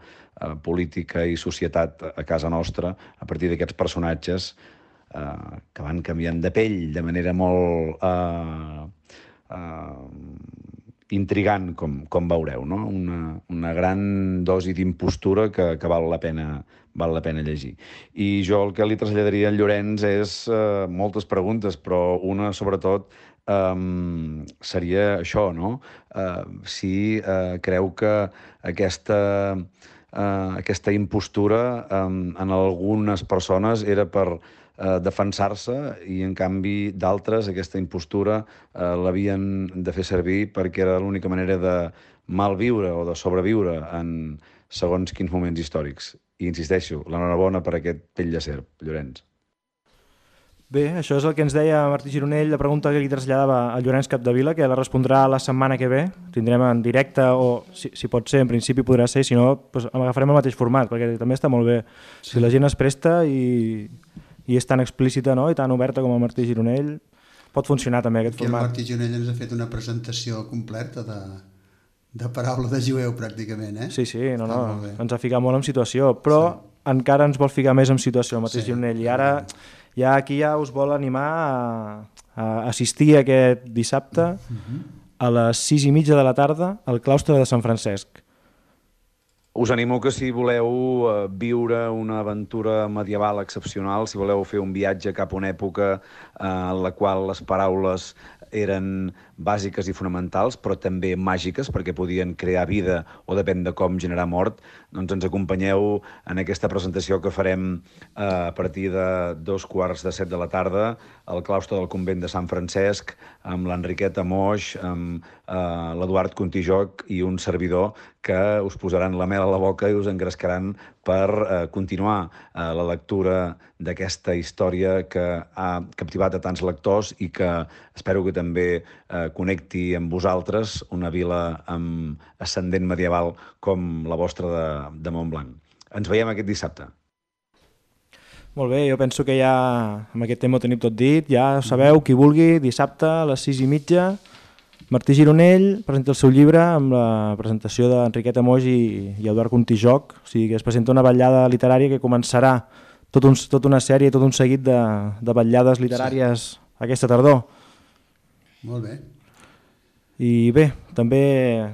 política i societat a casa nostra a partir d'aquests personatges que van canviant de pell de manera molt intrigant, com veureu, no? Una gran dosi d'impostura que val la pena llegir. I jo el que li traslladaria a Llorenç és moltes preguntes, però una, sobretot, seria això, no? Si creu que aquesta impostura en algunes persones era per defensar-se i, en canvi, d'altres aquesta impostura l'havien de fer servir perquè era l'única manera de malviure o de sobreviure en segons quins moments històrics. I insisteixo, l'enhorabona per aquest Pell de serp, Llorenç. Bé, això és el que ens deia Martí Gironell, la pregunta que li traslladava a Llorenç Capdevila, que la respondrà la setmana que ve. Tindrem en directe, o si pot ser, en principi podrà ser, si no, agafarem el mateix format, perquè també està molt bé. Si la gent es presta i és tan explícita, no?, i tan oberta com el Martí Gironell, pot funcionar també aquest format. El Martí Gironell ens ha fet una presentació completa de paraula de jueu, pràcticament, eh? Sí, no, ens ha ficat molt en situació, però encara ens vol ficar més en situació el Martí Gironell, i ara aquí us vol animar a assistir aquest dissabte a les 6:30 de la tarda al claustre de Sant Francesc. Us animo que si voleu viure una aventura medieval excepcional, si voleu fer un viatge cap a una època en la qual les paraules eren bàsiques i fonamentals, però també màgiques, perquè podien crear vida o depèn de com generar mort, doncs ens acompanyeu en aquesta presentació que farem a partir de 6:45 de la tarda al claustre del convent de Sant Francesc, amb l'Enriqueta Moix, amb l'Eduard Contijoc i un servidor que us posaran la mel a la boca i us engrescaran per continuar la lectura d'aquesta història que ha captivat a tants lectors i que espero que també connecti amb vosaltres una vila amb ascendent medieval com la vostra de Montblanc. Ens veiem aquest dissabte. Molt bé, jo penso que ja amb aquest tema ho tenim tot dit, ja sabeu, qui vulgui, dissabte a les 6:30, Martí Gironell presenta el seu llibre amb la presentació d'Enriqueta Moix i Eduard Contijoc, o sigui que es presenta una vetllada literària que començarà tota una sèrie, tot un seguit de vetllades literàries aquesta tardor. Molt bé. I bé, també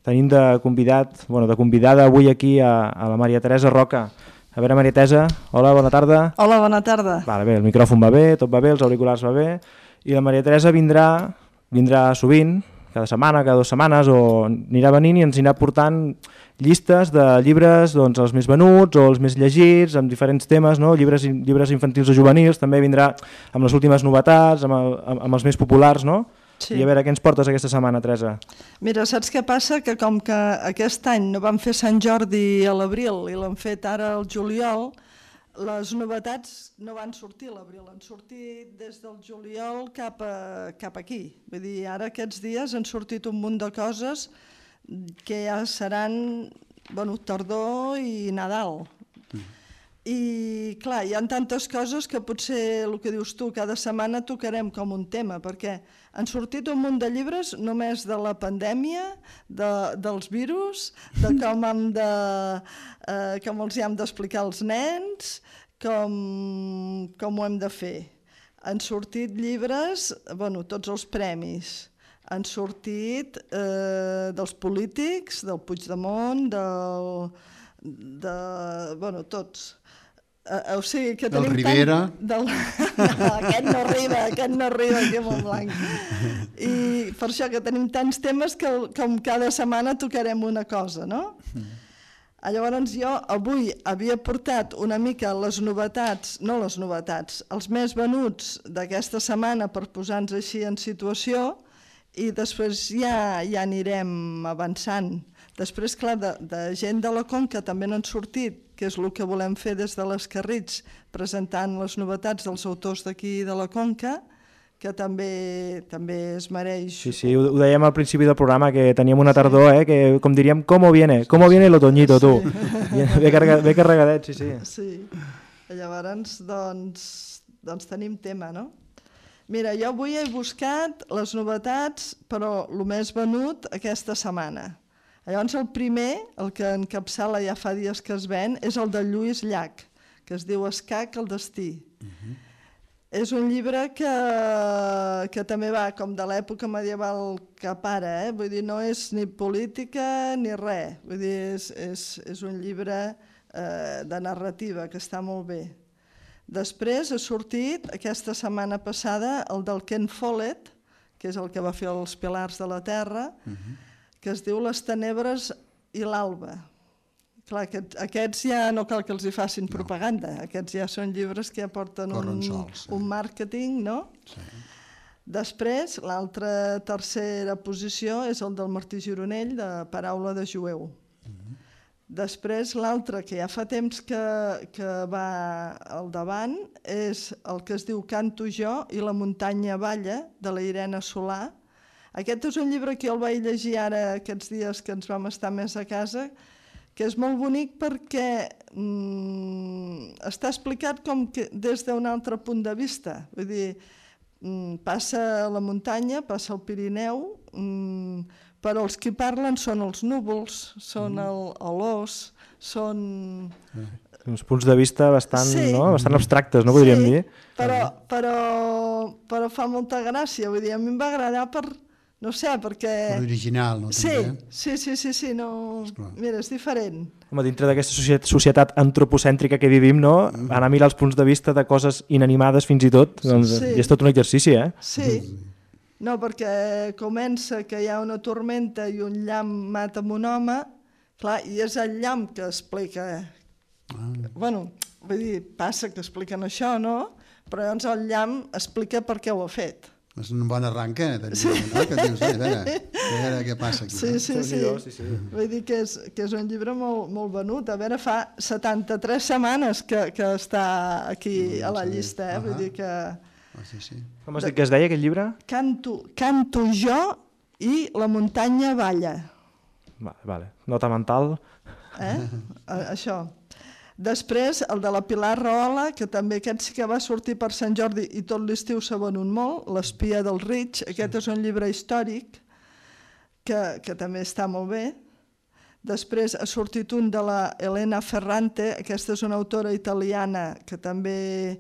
tenim de convidada avui aquí a la Maria Teresa Roca. A veure, Maria Teresa, hola, bona tarda. Hola, bona tarda. Bé, el micròfon va bé, tot va bé, els auriculars va bé, i la Maria Teresa vindrà sovint, cada setmana, cada 2 setmanes, o anirà venint i ens anirà portant llistes de llibres, doncs, els més venuts o els més llegits, amb diferents temes, no? Llibres infantils o juvenils, també vindrà amb les últimes novetats, amb els més populars, no? Sí. I a veure, què ens portes aquesta setmana, Teresa? Mira, saps què passa? Que com que aquest any no van fer Sant Jordi a l'abril i l'han fet ara al juliol, les novetats no van sortir a l'abril, han sortit des del juliol cap aquí. Vull dir, ara aquests dies han sortit un munt de coses que ja seran tardor i Nadal. I clar, hi ha tantes coses que potser el que dius tu, cada setmana tocarem com un tema, perquè han sortit un munt de llibres només de la pandèmia, dels virus, de com els hi hem d'explicar als nens, com ho hem de fer. Han sortit llibres, tots els premis, han sortit dels polítics, del Puigdemont, tots. O sigui que tenim Rivera. Aquest no arriba aquí a Montblanc. I per això que tenim tants temes que com cada setmana tocarem una cosa, no? Llavors jo avui havia portat una mica els més venuts d'aquesta setmana per posar-nos així en situació, i després ja anirem avançant. Després, clar, de gent de la Conca també n'han sortit, que és el que volem fer des de l'Escarrits, presentant les novetats dels autors d'aquí de la Conca, que també es mereix. Sí, ho dèiem al principi del programa, que teníem una tardor, que com diríem, ¿cómo viene l'otoñito, tu? Ve carregadet, sí. Sí, llavors, doncs tenim tema, no? Mira, jo avui he buscat les novetats, però el més venut aquesta setmana. Llavors el primer, el que encapçala ja fa dies que es ven, és el de Lluís Llach, que es diu Escac, el destí. És un llibre que també va com de l'època medieval cap ara, vull dir, no és ni política ni res, vull dir, és un llibre de narrativa que està molt bé. Després ha sortit aquesta setmana passada el del Ken Follett, que és el que va fer els Pilars de la Terra, que es diu Les tenebres i l'alba. Clar, aquests ja no cal que els hi facin propaganda, aquests ja són llibres que ja porten un màrqueting, no? Sí. Després, l'altra tercera posició és el del Martí Gironell, de Paraula de jueu. Després, l'altre, que ja fa temps que va al davant, és el que es diu Canto jo i la muntanya balla, de la Irene Solà. Aquest és un llibre que jo el vaig llegir ara aquests dies que ens vam estar més a casa, que és molt bonic perquè està explicat com que des d'un altre punt de vista. Vull dir, passa a la muntanya, passa al Pirineu, però els que parlen són els núvols, són l'os, són... Uns punts de vista bastant abstractes, no podríem dir? Però fa molta gràcia, vull dir, a mi em va agradar no sé, perquè... Per original, no? Sí, no... Mira, és diferent. Home, dintre d'aquesta societat antropocèntrica que vivim, no? Anar a mirar els punts de vista de coses inanimades fins i tot, doncs és tot un exercici, Sí, no, perquè comença que hi ha una tormenta i un llamp mata un home, clar, i és el llamp que explica... Bueno, vull dir, passa que expliquen això, no? Però llavors el llamp explica per què ho ha fet. És un bon arranque, no? Que dius, a veure què passa aquí. Sí. Vull dir que és un llibre molt venut. A veure, fa 73 setmanes que està aquí a la llista, vull dir que... Com has dit que es deia, aquest llibre? Canto jo i la muntanya balla. Vale. Nota mental. Això. Després, el de la Pilar Rahola, que també aquest sí que va sortir per Sant Jordi i tot l'estiu s'ha venut molt, L'espia del Rig, aquest és un llibre històric que també està molt bé. Després ha sortit un de la Elena Ferrante, aquesta és una autora italiana que també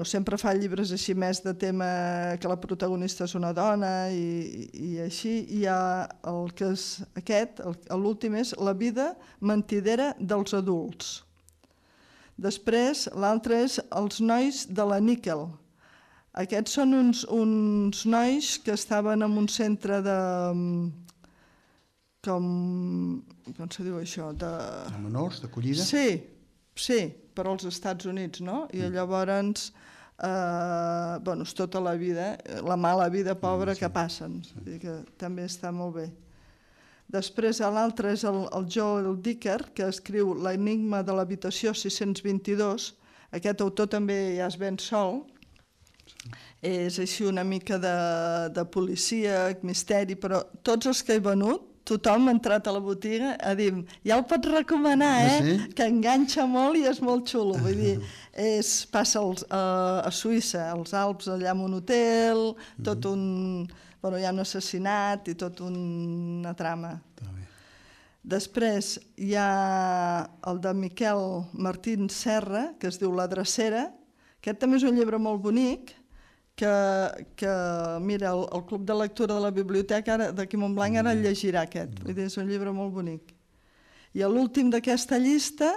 sempre fa llibres així més de tema que la protagonista és una dona i així. Hi ha el que és aquest, l'últim és La vida mentidera dels adults. Després l'altre és Els nois de la Níquel. Aquests són uns nois que estaven en un centre de... Com se diu això? De menors, d'acollida? Sí, per als Estats Units, no? I llavors, és tota la vida, la mala vida pobra que passen, que també està molt bé. Després l'altre és el Joel Dicker, que escriu L'enigma de l'habitació 622. Aquest autor també ja es ven sol. És així una mica de policia, misteri, però tots els que he venut, tothom ha entrat a la botiga a dir, ja el pots recomanar, que enganxa molt i és molt xulo. Vull dir, passa a Suïssa, als Alps, allà en un hotel, tot un... hi ha un assassinat i tot una trama. Després hi ha el de Miquel Martín Serra, que es diu La drecera. Aquest també és un llibre molt bonic, que mira, el Club de Lectura de la Biblioteca d'aquí a Montblanc ara el llegirà aquest. Vull dir, és un llibre molt bonic. I l'últim d'aquesta llista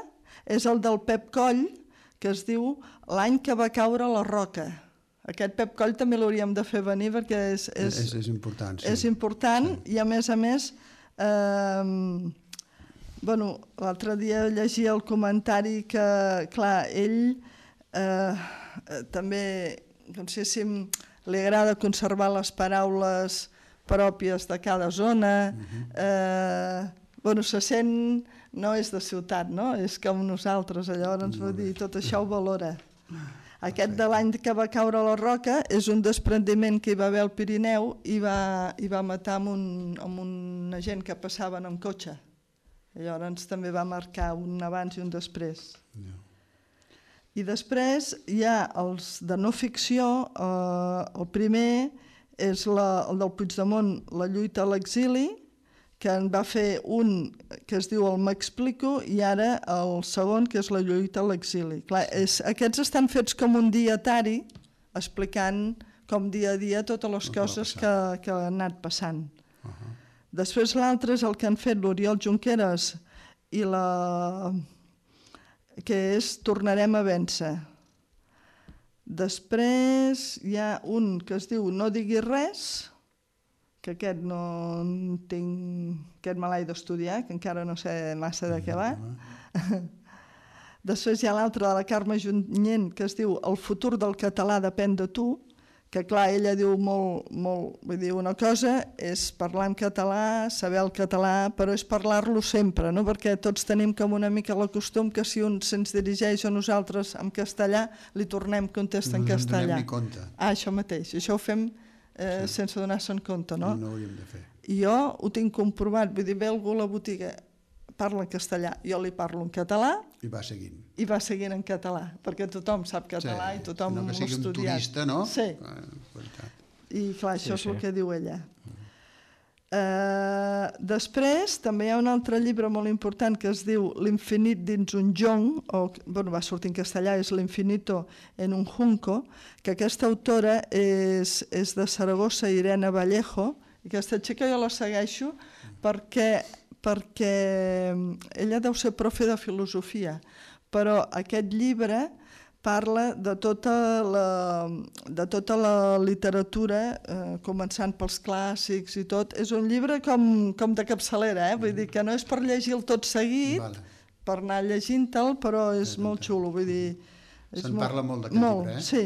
és el del Pep Coll, que es diu L'any que va caure la roca. Aquest Pep Coll també l'hauríem de fer venir perquè és important. És important i a més, l'altre dia llegia el comentari que, clar, ell també... li agrada conservar les paraules pròpies de cada zona, se sent, no és de ciutat, no? És com nosaltres, llavors vull dir, tot això ho valora. Aquest de l'any que va caure la roca és un desprendiment que hi va haver al Pirineu i va matar amb una gent que passaven amb cotxe. Llavors també va marcar un abans i un després. I després hi ha els de no ficció, el primer és el del Puigdemont, la lluita a l'exili, que en va fer un que es diu el M'explico i ara el segon que és la lluita a l'exili. Aquests estan fets com un dietari explicant com dia a dia totes les coses que han anat passant. Després l'altre és el que han fet l'Oriol Junqueras i que és Tornarem a vèncer. Després hi ha un que es diu No diguis res, que aquest no tinc... Aquest me l'he d'estudiar, que encara no sé massa de què va. Després hi ha l'altre de la Carme Junyent, que es diu El futur del català depèn de tu, que clar, ella diu molt... Vull dir, una cosa és parlar en català, saber el català, però és parlar-lo sempre, no? Perquè tots tenim com una mica el costum que si un se'ns dirigeix a nosaltres en castellà, li tornem contestar en castellà. No ens donem ni compte. Això mateix. Això ho fem sense donar-se'n compte, no? No ho hauríem de fer. I jo ho tinc comprovat, vull dir, ve algú a la botiga, parla en castellà, jo li parlo en català... I va seguint. I va seguint en català, perquè tothom sap català i tothom l'ha estudiat. No que sigui un turista, no? Sí. I clar, això és el que diu ella. Després també hi ha un altre llibre molt important que es diu L'infinit dins un jonc, va sortir en castellà, és L'infinito en un junco, que aquesta autora és de Saragossa, Irene Vallejo, i aquesta xica jo la segueixo perquè ella deu ser profe de filosofia, però aquest llibre parla de tota la literatura, començant pels clàssics i tot. És un llibre com de capçalera, vull dir que no és per llegir-lo tot seguit, per anar llegint-te'l, però és molt xulo, vull dir... Se'n parla molt d'aquest llibre, eh? Sí.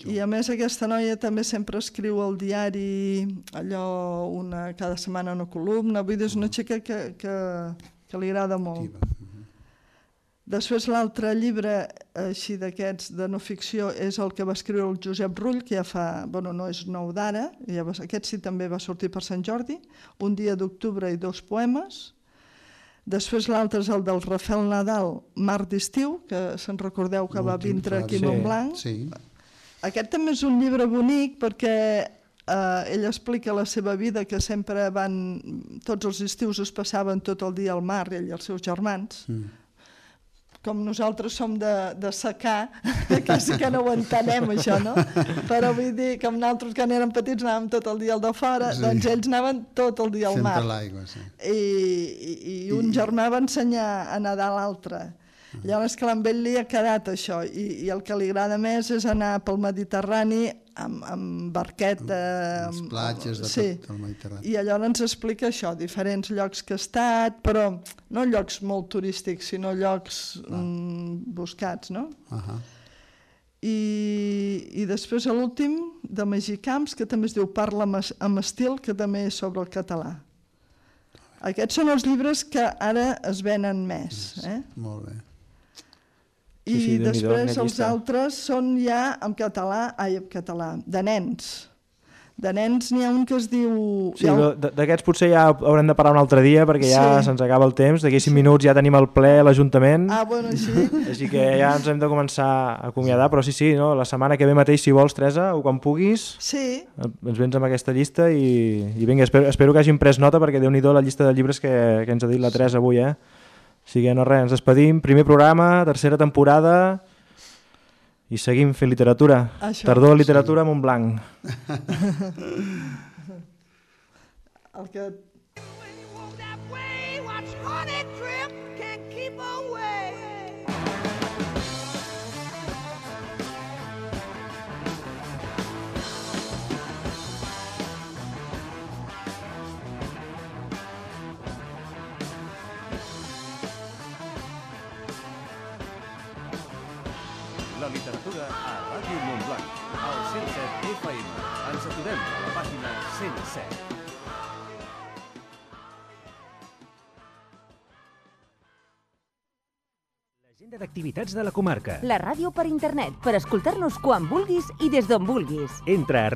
I a més aquesta noia també sempre escriu al diari allò, cada setmana una columna, vull dir, és una xica que li agrada molt. Després l'altre llibre així d'aquests de no ficció és el que va escriure el Josep Rull, que ja fa, no és nou d'ara, aquest sí també va sortir per Sant Jordi, Un dia d'octubre i 2 poemes. Després l'altre és el del Rafael Nadal, Mar d'estiu, que se'n recordeu que va vindre aquí a Montblanc. Aquest també és un llibre bonic perquè ell explica la seva vida, que sempre tots els estius es passaven tot el dia al mar, ell i els seus germans. Com nosaltres som de secar, quasi que no ho entenem, això, no? Però vull dir, com nosaltres quan érem petits anàvem tot el dia al de fora, doncs ells anaven tot el dia al mar. Sempre a l'aigua, sí. I un germà va ensenyar a nedar l'altre. Llavors que amb ell li ha quedat això, i el que li agrada més és anar pel Mediterrani amb barqueta... Les platges de tot el Mediterrani. I llavors ens explica això, diferents llocs que ha estat, però no llocs molt turístics, sinó llocs buscats, no? I després l'últim, de Magí Camps, que també es diu Parla amb estil, que també és sobre el català. Aquests són els llibres que ara es venen més. Molt bé. I després els altres són ja en català, de nens. De nens n'hi ha un que es diu... Sí, d'aquests potser ja haurem de parar un altre dia perquè ja se'ns acaba el temps. D'aquí 5 minuts ja tenim el ple a l'Ajuntament. Sí. Així que ja ens hem de començar a acomiadar, però sí, no? La setmana que ve mateix, si vols, Teresa, o quan puguis, ens vens amb aquesta llista i vinga, espero que hagin pres nota perquè Déu-n'hi-do la llista de llibres que ens ha dit la Teresa avui, O sigui, no res, ens despedim. Primer programa, tercera temporada i seguim fent literatura. Tardor literatura a Montblanc. El que... La literatura a Ràdio Montblanc, al 107 FM. Ens aturem a la pàgina 107. L'agenda d'activitats de la comarca. La ràdio per internet, per escoltar-nos quan vulguis i des d'on vulguis. Entra a